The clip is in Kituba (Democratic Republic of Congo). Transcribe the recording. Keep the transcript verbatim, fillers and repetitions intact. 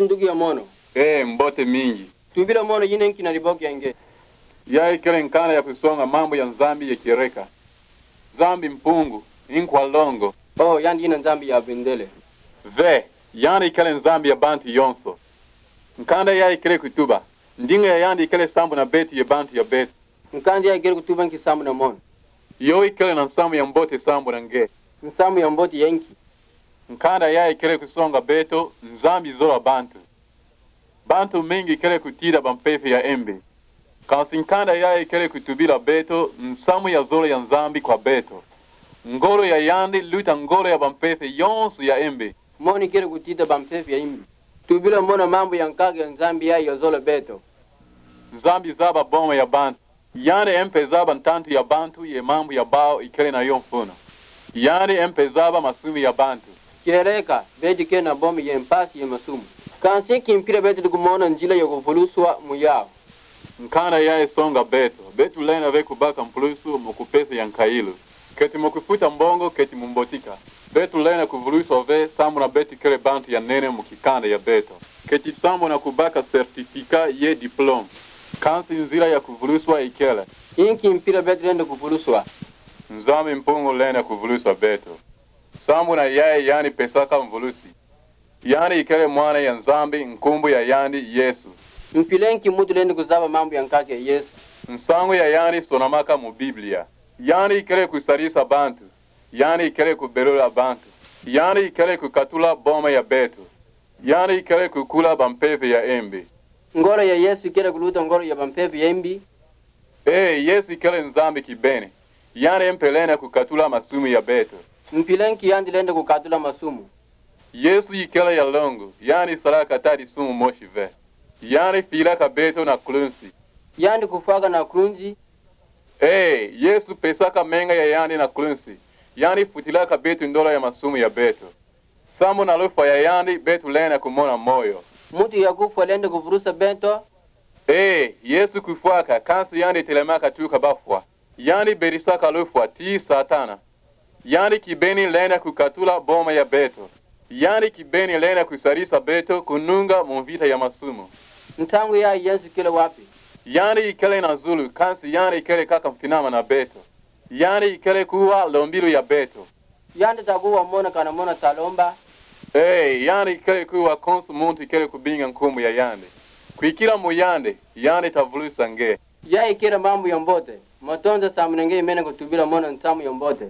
Nduki ya mono. Ee, mbote mingi. Tubila mono yina nki na liboki ya nge. Ya ikele nkanda ya kusonga mambu ya Nzambi ye kieleka. Nzambi Mpungu, Nkwa Longo. Oh, yandi yina Nzambi ya bendele. Ve, yandi ikele Nzambi ya bantu yonso. Nkanda ya ikele kutuba, ndinga ya yandi ikele sambu na beto ye bantu ya beto. Nkanda ya ikele kutuba nki sambu na mono. Yo ikele na nsamu ya mbote sambu na nge. Nsamu ya mbote ya nki. Nkanda ya ikele kusonga beto, Nzambi zola bantu. Bantu mingi ikele kutida bampeve ya mbi. Kansi nkanda ya ikele kutubila beto, nsamu ya zole ya Nzambi kwa beto. Ngolo ya yandi luta ngolo ya bampeve yonso ya mbi. Mono ikele kutida bampeve ya mbi. Tubila mono mambu ya nkaka ya Nzambi ya, ya zola beto. Nzambi zaba boma ya bantu. Yandi mpe zaba ntantu ya bantu ye mambu ya bawu ikele na yo mfunu. Yandi mpe zaba masumu ya bantu. Kieleka, beto ikele na boma ye mpasi ye masumu. Kansi nki mpila beto lenda kumona nzila ya kuvuluswa mu yawu. Nkanda ya isonga beto, beto lenda ve kubaka mpulusu mu kupesa ya nkayulu. Keti mu kufuta mbongo, keti mu mbotika. Beto lenda kuvuluswa ve, sambu na beto ikele bantu ya nene mu kikanda ya beto. Keti sambu na kubaka certificat ye diplôme. Kansi nzila ya kuvuluswa ikele. Nki mpila beto lenda kuvuluswa. Nzambi Mpungu lenda kuvuluswa beto. Sambu na ya yandi pesaka mvulusi. Yandi ikele mwana ya Nzambi, nkumbu ya yandi Yesu. Mpila nki muntu lenda kuzaba mambu ya nkaka ya Yesu. Nsangu ya yandi sonamaka mu Biblia. Yandi ikele kusadisa bantu. Yandi ikele kubelula bantu. Yandi ikele kukatula boma ya beto. Yandi ikele kukula bampeve ya mbi. Ngolo ya Yesu ikele kuluta ngolo ya bampeve ya mbi. Ee, Yesu ikele Nzambi kibeni. Yandi mpe lenda kukatula masumu ya beto. Mpila nki yandi lenda kukatula masumu. Yesu ikele ya longo, yandi salaka ata disumu mosi ve. Yandi filaka beto na krunsi. Yandi kufwaka na krunsi. Ee, Yesu pesaka menga ya yandi na krunsi. Yandi futilaka beto ndola ya masumu ya beto. Sambu na lufwa ya yandi beto lenda kumona moyo. Muntu ya kufwa lenda kuvulusa beto. Ee, Yesu kufwaka, kansi yandi telamaka tuka bafwa. Yandi bedisaka lufwa, tii Satana. Yandi kibeni lenda kukatula boma ya beto. Yandi kibeni lenda kusadisa beto kununga mu mvita ya masumu. Ntangu ya Yesu ikele wapi. Yandi ikele na zulu, kansi yandi ikele kaka mfinama na beto. Yandi ikele kuwa lombilu ya beto. Yandi takuwa mono kana mono talomba. Ee, yandi ikele kuwa konso muntu ikele kubinga nkumbu ya yandi. Kwikila mu yandi, yandi tavulusa nge. Ya ikele mambu ya mbote. Matondo sambu na nge imene kutubila mono nsamu ya mbote.